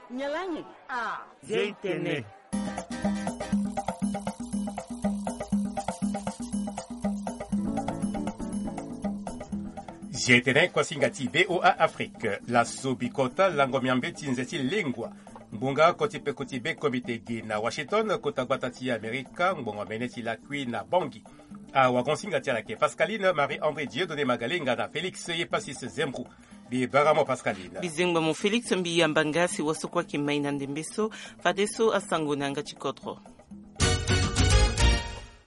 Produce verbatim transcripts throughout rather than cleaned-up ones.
Nyalangi. Ah. Zia itene. Zia itene kuasinga ti VOA Afrique. Laso bikota lango miambe ti nze ti lengua. Ngbonga oko ti peko ti be komite ge na Washington, kota gbata ti Amerika, ngbonga mene ti lakui na Bangui. Awagonsinga ti ala ayeke Pascaline Marie André Dieudonné Magalenga na Félix Yepasis Zembrou. Mbi bara mo Pascaline. Mbi zengba mo Félix, mbi yamba nga si wa so kue ayeke mai na ndembe so. Fadeso asango na yanga ti kodro.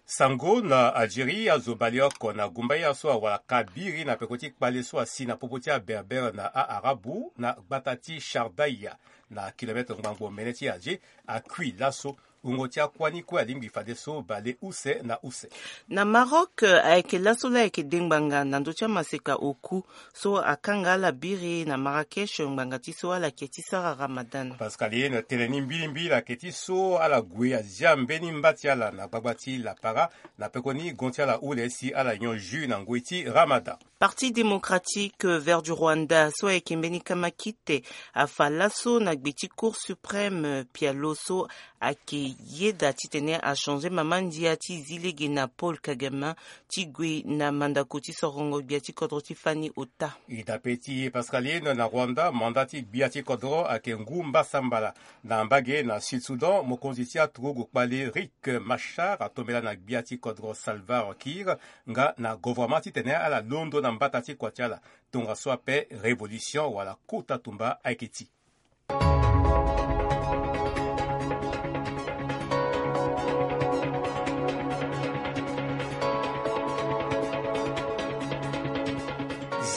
Sango na Algérie, azo baleoko na gumbaya so awara ka biri na peko ti kpale so asi na popo ti aberbere na a-arabu na gbata ti Shardaïa, na kilometre ngbangbo mene ti Alger, akui laso. Wungo ti akuâ ni kue alingbi fadeso bale use na use. Na Maroc, ayeke laso laa ayeke de ngbanga na ndö ti amaseka oku so akanga ala biri na Marrakech ngbanga ti so ala yeke ti sara Ramadan. Pascaline, tene ni mbilimbili ayeke ti so ala gue azia mbeni mba ti ala na gbagba ti lapara, na pekoni gon ti ala hule si ala nyon jus na ngoi ti Ramadan. Parti démocratique vert du Rwanda so ayeke mbeni kamakite afa laso na gbe ti Cour suprême pialo so ayeke yeda titene achanger mama ndia ti zi lege na Paul Kagame ti gue na mandako ti sorongo gbia ti kodro ti fani ota. E dape ti Pascaline, na Rwanda, manda ti gbia ti kodro ayeke ngu mbasambala. Na mbage na Sud Soudan, mokonzi ti aturugu kpale Riek Machar atombela na gbia ti kodro Salva Kiir nga na govoroma titene ala londo na mbata ti kua ti ala. Tongaso ape révolution wala kota tumba ayeke ti.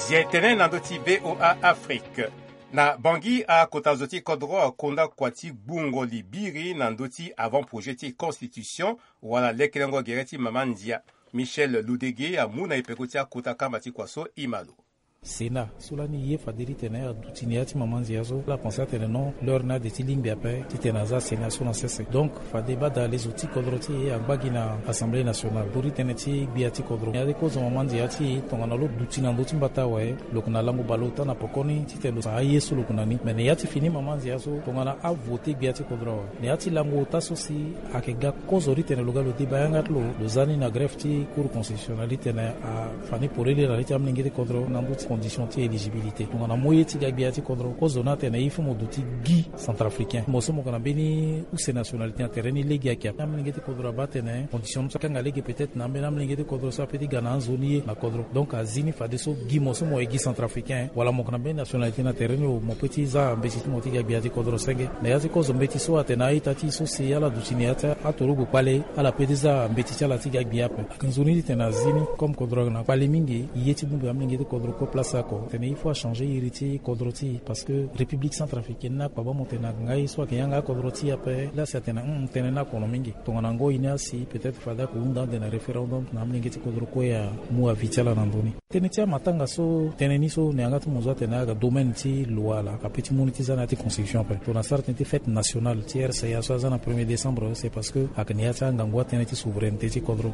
Zia tene na ndö ti VOA Afrique. Na Bangui, akota zo ti kodro akonda kua ti gbungo libiri na ndö ti avant-projet ti constitution wala lekelengo gere ti mama ndia. Michel Ludege amu na e peko ti akota kamba ti kua so, e ma lo. Sénat so lani ye fade titene aduti na ya ti mama ndia so, ala pense atene non, l'heure ni ade ti lingbi ape titene aza Sénat so na sese. Donc fade badale zo ti kodro ti e angba gi na Assemblée nationale. Nduru ti tënë ti gbia ti kodro, na ya ti kozo mama ndia ti e tongana lo duti na ndö ti mbata awe, lo yeke na lango bale ota na pokoni titene lo sara aye so lo yeke na ni. Me na ya ti fini mama ndia so, tongana avote gbia ti kodro awe, na ya ti lango ota so si ayeke ga kozo titene lo ga lo débat yanga ti lo, lo za ni na greffe ti Cour constitutionnelle titene afa ni polele na li ti amolenge ti kodro na ndö ti condition ti éligibilité. Tongana mo ye ti ga gbia ti kodro, kozo ni atene il faut mo duti gi centrafricain. Mo so mo yeke na mbeni use nationalité na tere ni lege ayeke ape. Amolenge ti kodro abaa atene condition ni so akanga lege peut-être na ambeni amolenge ti kodro so ape ti ga na anzoni ye na kodro. Donc azi ni fadeso gi mo so mo ye gi centrafricain wala mo yeke na mbeni nationalité na tere ni, mo peut ti za mbeti ti mo ti ga gbia ti kodro senge. Na ya ti kozo mbeti so atene a-ita ti e so si ala duti na ya ti aturugu kpale, ala peut ti za mbeti ti ala ti ga gbia ape. Ayeke nzoni titene azi ni comme kodro ayeke na kpale mingi, e ye ti bongbi amolenge ti kodro kue place oko titene il faut achanger iri ti kodro ti e, parce que République centrafricaine ni akpaba mo tene ayeke nga ye so ayeke yanga akodro ti e ape. Laa si atene hum, tënë ni akono mingi. Tongana ngoi ni asi, peut-être fade ayeke hunda ande na référendum na amolenge ti kodro kue amu avis ti ala na ndö ni. Tënë ti amatanga so tënë ni so na yanga ti mo zo atene ayeke domaine ti loi laa, ape ti mu ni ti za na ya ti constitution ape. Tongana sara tënë ti fête nationale ti R C A so aza na premier décembre, c'est parce que ayeke na ya ti angangu atënë ti souveraineté ti kodro.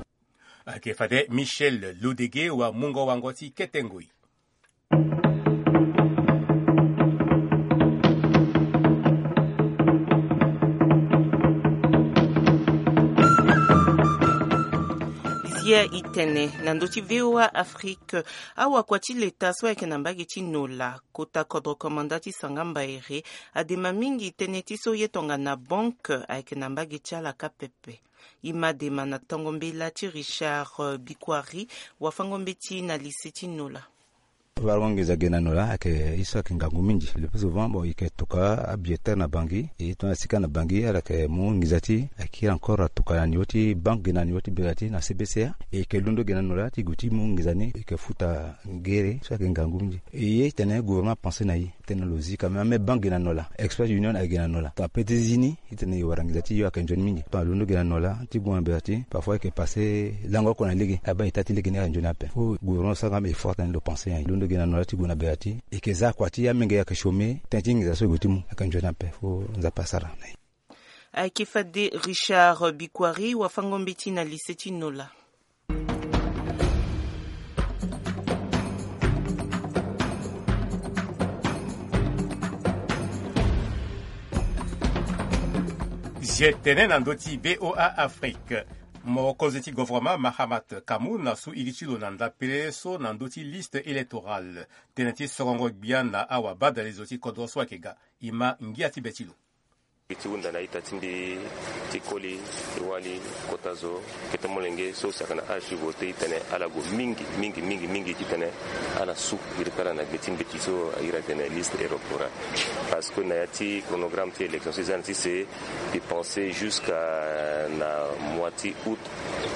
Ayeke fade Michel Lodege wamungo wango ti kete ngoi. Zia itene na ndö ti VOA Afrique, awakua ti leta so ayeke na mbage ti Nola, kota kodro komanda ti Sanga Mbaere, adema mingi tënë ti so ye tongana banque ayeke na mbage ti ala kâ pepe. E ma dema na tongo mbela ti Richard, euh, Bikwari, wafango mbeti na lycée ti Nola. Warango nginza ge na Nola ayeke ye so ayeke ngangu mingi. Le plus souvent, bon, e yeke toka abillet terre na Bangui, e tongana sika na Bangui ala yeke mu nginza ti e, ayeke kiri encore atoka na niveau ti banque ge na niveau ti bera ti na C B C A. E yeke londo ge na Nola ti gue ti mu nginza ni, e yeke futa ngere so ayeke ngangu mingi. E ye tene gouvernement apense na e. Tene lo zi quand même, ame banque ge na Nola, Express Union ayeke ge na Nola. Tongana peut ti zi ni, e tene e wara nginza ti e ayeke nzoni mingi. Tongana londo ge na Nola ti gue na bera ti, parfois e yeke passe lango oko na lege, abaa e taa ti lege ni ayeke nzoni ape. Faut gouvernement asara nga ame effort tene lo pense na e. Londo ge na Nola ti gue na bera ti, e yeke za kua ti amenge ayeke chômer, tënë ti nginza so e gue ti mu ayeke nzoni ape. Faut Nzapa asara na e. Ayeke fade Richard Bikwari, wafango mbeti na lycée ti Nola. Zie tene na ndö ti VOA Afrique. Mokonzi ti govoroma Mahamat Kamoun asu iri ti lo na ndapele so na ndö ti liste électorale. Tënë ti sorongo gbia na awa badalezo ti kodro so ayeke ga. E ma ngia ti be ti lo. Gi ti hunda na ita ti mbi ti koli ti wali kota zo, kete molenge so si ayeke na âge ti vote ti tene ala gue mingi mingi mingi mingi ti tene ala su iri ti ala na gbe ti mbeti so a iri atene liste électorale. Parce que na ya ti chronogramme ti élection so e za na ti se, e pense jusqu'à na mois ti août,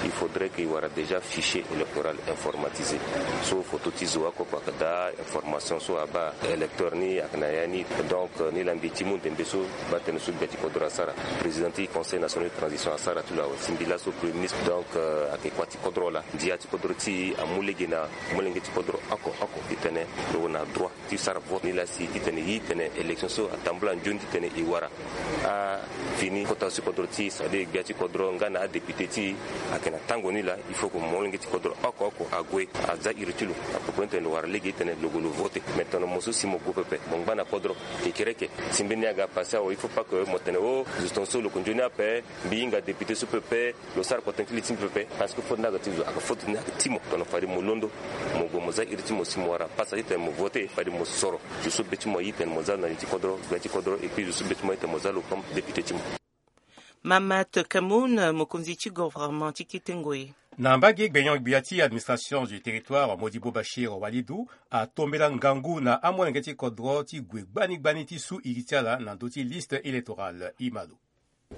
il faudrait que e wara déjà fichier électoral informatisé. So photo ti zo oko oko ayeke daa, information so abaa électeur ni ayeke na ya ni. Donc ni laa mbi ti mu ndembe so baa tënë so gbia ti kodro asara, président ti conseil national de transition asara ti lo awe, si mbi laso premier ministre. Donc ayeke kuâ ti kodro laa, ndia ti kodro ti e amu lege na molenge ti kodro oko oko ti tene lo na droit ti sara vote ni laa si ti tene e tene élection so atambula nzoni ti tene e wara afini kota so ti kodro ti e, c'est-à-dire gbia ti kodro nga na adéputé ti e ayeke na tango ni laa. Il faut que molenge ti kodro oko oko ague aza iri ti lo à propos ti tene lo wara lege ti tene lo gue lo vote. Mais tongana mo so si mo gue pepe, mo ngba na kodro, kekereke si mbeni aga passé awe, il faut pas que mo tene o zo tongaso lo yeke nzoni ape, mbi hinga député so pepe, lo sara kota ti li ti mbi pepe. Parce que faute ni aga ti zo, aga faute ni aga ti mo. Tongana fade mo londo, mo gue mo za iri ti mo, si mo wara pasa ti tene mo vote, fade mo soro zo so be ti mo aye ti tene mo za na li ti kodro, gbia ti kodro, et puis zo so be ti mo aye ti tene mo za lo comme député ti mo. Mamat Kamoun, mokonzi ti gouvernement ti kete ngoi. Na mbage gbenyon-gbia ti administration du territoire, Modibo Bachir Walidou atombela ngangu na amolenge ti kodro ti gue gbani gbani ti su iri ti ala na ndö ti liste électorale. E ma lo.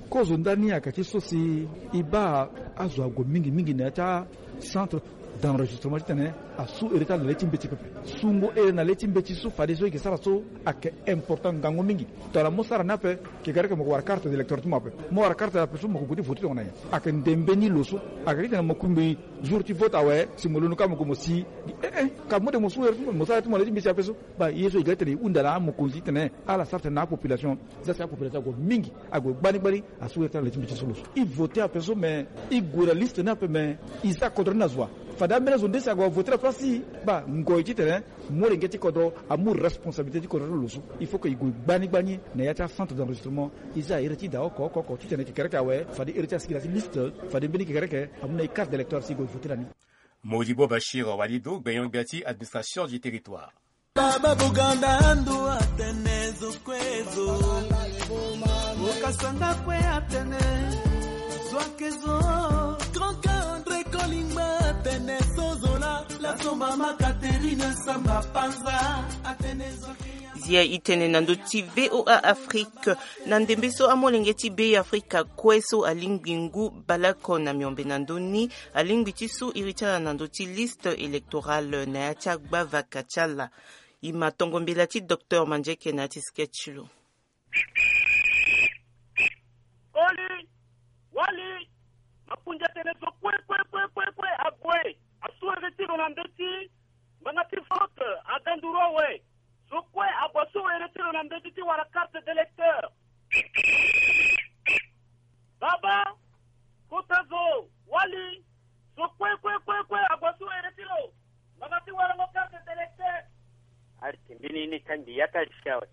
Kozo ndani ayeke ti so si e baa azo ague mingi mingi na ya ti acentre d'enregistrement ti tene asu iri ti ala na le ti mbeti pepe. Sungo iri na le ti mbeti so fadeso e yeke sara so ayeke important ngangu mingi. Tongana mo sara ni ape, kekereke mo yeke wara carte d'électeur ti mo ape. Mo wara carte ape so mo yeke gue ti vote tongana nyen? Ayeke ndembe ni lo so. Ayeke ti tene mo kungbi jour ti vote awe, si mo londo kâ mo gue mo si. Eh eh, ka mo de mo su iri ti mo, mo sara ti mo na le ti mbeti ape so. Baa ye so e ga ti tene e hunda na amokonzi ti tene ala sara tene na apopulation. Za si apopulation ague mingi, ague gbani gbani, asu iri ti ala na le ti mbeti so lo so. E vote ape so me, e gue na liste ni ape me, e za kodro ni na zo wa? Fade ambeni azo nde si ague avote na place ti e. Baa ngoi ti tene molenge ti kodro amu responsabilité ti kodro ti lo so. Il faut que e gue gbani gbani na ya ti acentre d'enregistrement. E za iri ti da oko oko oko ti tene kekereke awe, fade iri ti asikila ti liste, fade mbeni kekereke amu na e carte d'électeur si e gue e vote na ni. Modibo Bachir Walidou, gbenyon-gbia ti administration du territoire. Baba Buganda ando atene zo kue zo. Okasanga kue atene zo ake zo. Grand André Kolingba atene so zo la. La somba ma Catherine Samba Panza atene zo ake. Zia e tene na ndö ti VOA Afrique. Na ndembe so amolenge ti Be Afrika kue so alingbi ngu baleoko na miombe na ndö ni, alingbi ti su iri ti ala na ndö ti liste électorale na ya ti agbavaka ti ala. E ma tongo mbela ti docteur Mandieke na ya ti sketch ti lo. Koli, wali, makunzi atene zo kue kue kue kue kue ague asu iri ti lo na ndö ti ngbanga ti vote. Aga nduru awe. Zo kue ague asu iri ti lo na mbeti ti wara carte d'électeur. Baba, kota zo, wali, zo kue kue kue kue ague asu iri ti lo ngbanga ti warango carte d'électeur. Ari ti mbeni ni ka mbi ya ti ari si awe.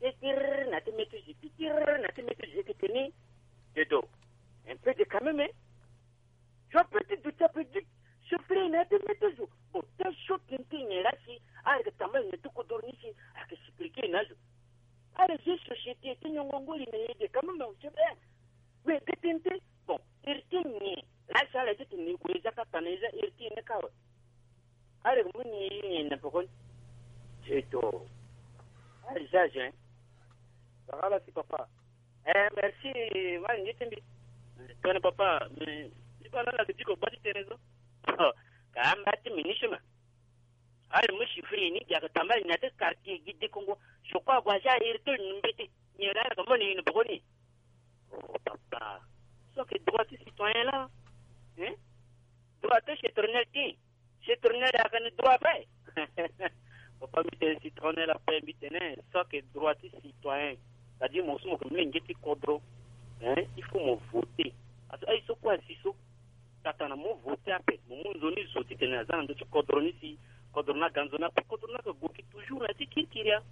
Pitir na ti meti zi, pitir na ti meti zi yeke teni. Dedo. Un peu de quand même, hein. Zo pe ti duti ape ti souffrir na ya ti mbeti zo. Bon, tel so tene ti nyen laa si ayeke tambala na ya ti kodro ni si ayeke expliquer na azo. Ala zi société ti nyongo ngoli na ye de quand même, c'est bien. Mais de tene ti, bon, iri ti nyen laa si ala ye ti tene e gue e za kâ tana e za iri ti nyen ni kâ awe. Ala yeke mu ni ye nyen na pekoni. Eto. Ala zi azo, hein. Bakala si papa. Eh, merci, wali nge ti mbi. Tene papa, mais, si bana la ke diko bati tene so. Oh, ka amba ti mini sima. Allez, mo chiffre ni, diaka tambala na te quartier, gi de Congo. Je crois, gua ja iri to ni mbete. Ni la, ka mo ni ni boko ni. Oh, papa. So ke droit ti citoyen la. Hein? Droit ti citoyen ti. Citoyen ayeke ni droit ape. Papa, mbi tene citoyen ape, mbi tene so ayeke droit ti citoyen. C'est-à-dire mo so mo yeke molenge ti kodro, hein, il faut mo voter. Parce que aye so kue asi so, tata na mo voter ape, mo mu nzoni zo titene aza na ndö ti kodro ni si kodro ni aga nzoni ape, kodro ni ayeke gue gi toujours na ya ti kirikiri ya.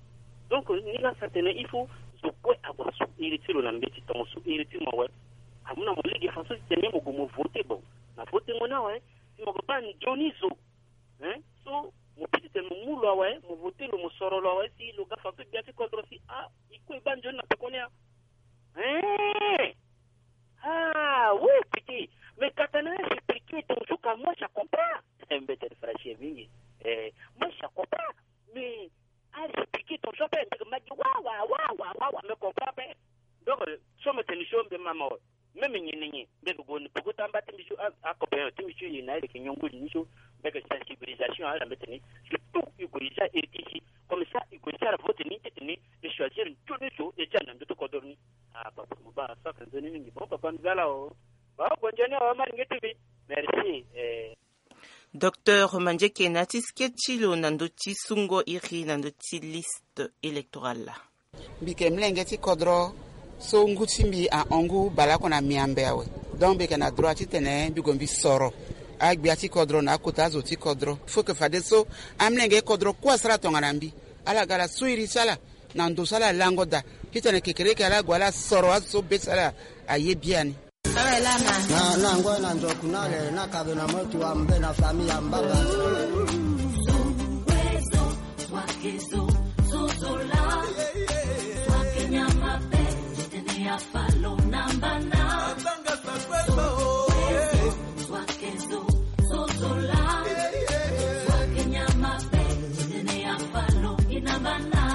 Donc ni laa sa tene il faut zo kue ague asu iri ti lo na mbeti tongaso iri ti mo awe. Amu na mo lege façon ti tene mo gue mo vote. Bon, na votengo ni awe, si mo gue baa nzoni zo. Hein? So mo peut ti tene mo mu lo awe, mo vote lo, mo soro lo awe, si lo ga façon gbia ti kodro si, ah, e kue e baa nzoni na peko ni, ah. Hein? Ah oui, petit. Mais katana, expliquer ton jour, car moi je comprends. Mbete fraîche mingi. Eh, moi je comprends. Mais, ah, expliquer ton jour, ben, ma gi wa wa wa wa wa wa, me comprend, ben. Donc, euh, so me tene jour, ben, maman, même ni ni ni, mbege gue ni peko ti amba ti mbi so, ah, ah, copain ti mbi so, ye na ye leke nyongo ni so, mbege sensibilisation ala mbeti ni, surtout e gue e za iri ti si, comme ça e gue e sara vote ni ti tene e choisir nzoni so e za na ndö ti kodro ni. Ah, papa, mo baa saka nzoni mingi. Bon, papa, mbi za laa o. Baa, gonzo ni awe, ma lenge ti mbi. Merci. Eh. Docteur Mandieke na ya ti sketch ti lo na ndö ti sungo iri na ndö ti liste électorale. Mbi yeke molenge ti kodro so ngu ti mbi ahon ngu baleoko na miambe awe. Donc mbi yeke na droit titene mbi gue mbi soro agbia ti kodro na akota azo ti kodro. Faut que fadeso amolenge kodro kue asara tongana mbi, ala ga ala su iri ti ala na ndo so ala lango daa, titene kekereke ala gue ala soro azo so be ti ala aye biani. Na, na ngoi na nzoku na le, na kabe na motu wa mbe na famille ya mbanga.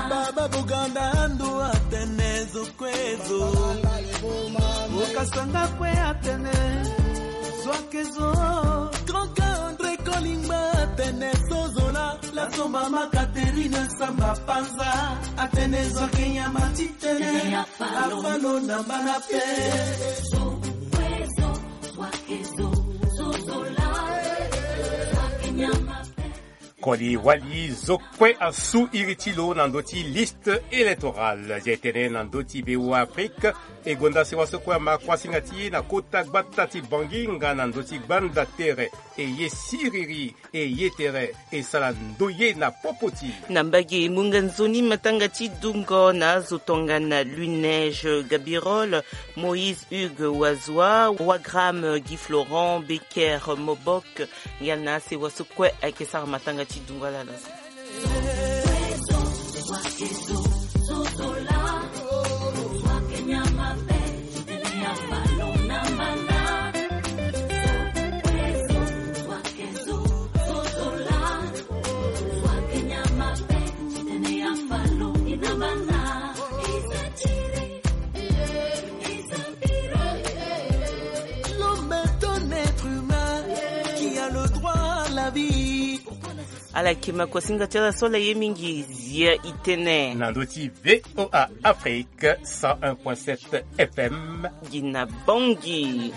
Baba Buganda ando atene zo kue zo. Okasanga kue atene zwake zo. Grand André Kolingba atene sozola. La somba ma Catherine Samba Panza atene zwake nyama titene. Afalo na mbana pe. Koli wali zo kue asu iri ti lo na ndö ti liste électorale. Zia e tene na ndö ti Beoafrika, e gonda sewa so kue ama kuasinga ti e na kota gbata ti Bangi nga na ndö ti gbanda tere, e ye siriri, e ye tere, e sara ndoye na popo ti. Na mbage munga nzoni matanga ti dungo na azo tongana Lunege Gabirol, Moïse Hugues Wazua, Wagram Guy Florent, Becker Mobok, ngia na asewa so kue ayeke sara matanga ti dungo ala na so. L'homme est un être humain qui a le droit à la vie. Ala yeke makosinga ti ala so ala ye mingi, zia e tene na ndö ti VOA Afrique cent un point sept F M. Gi na Bangui.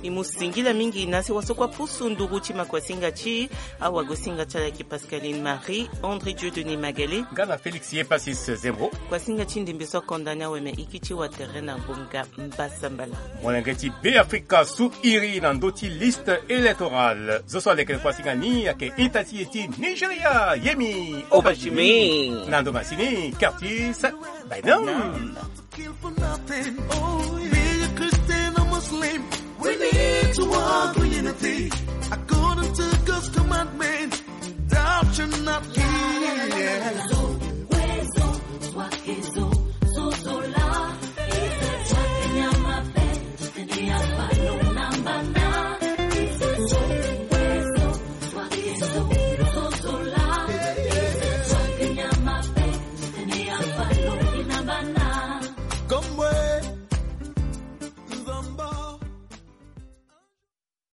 E mu singila mingi na sewa so kue apusu nduru ti makuasinga ti awagosinga ti ala yeke Pascaline Marie, André Dieudonné Magalé nga na Félix Yepasis Zembo. Kuasinga ti ndembe so akonda ni awe me iki ti watere na ngonga mbasambala. Molenge ti Beafrika su iri na ndö ti liste électorale. Zo so alekere kuasinga ni ayeke ita ti e ti Nigeria, Yemi Obajimi. Na ndo masini Curtis Bynum. Kill for nothing. Oh, be a Christian or Muslim, we need to work for unity.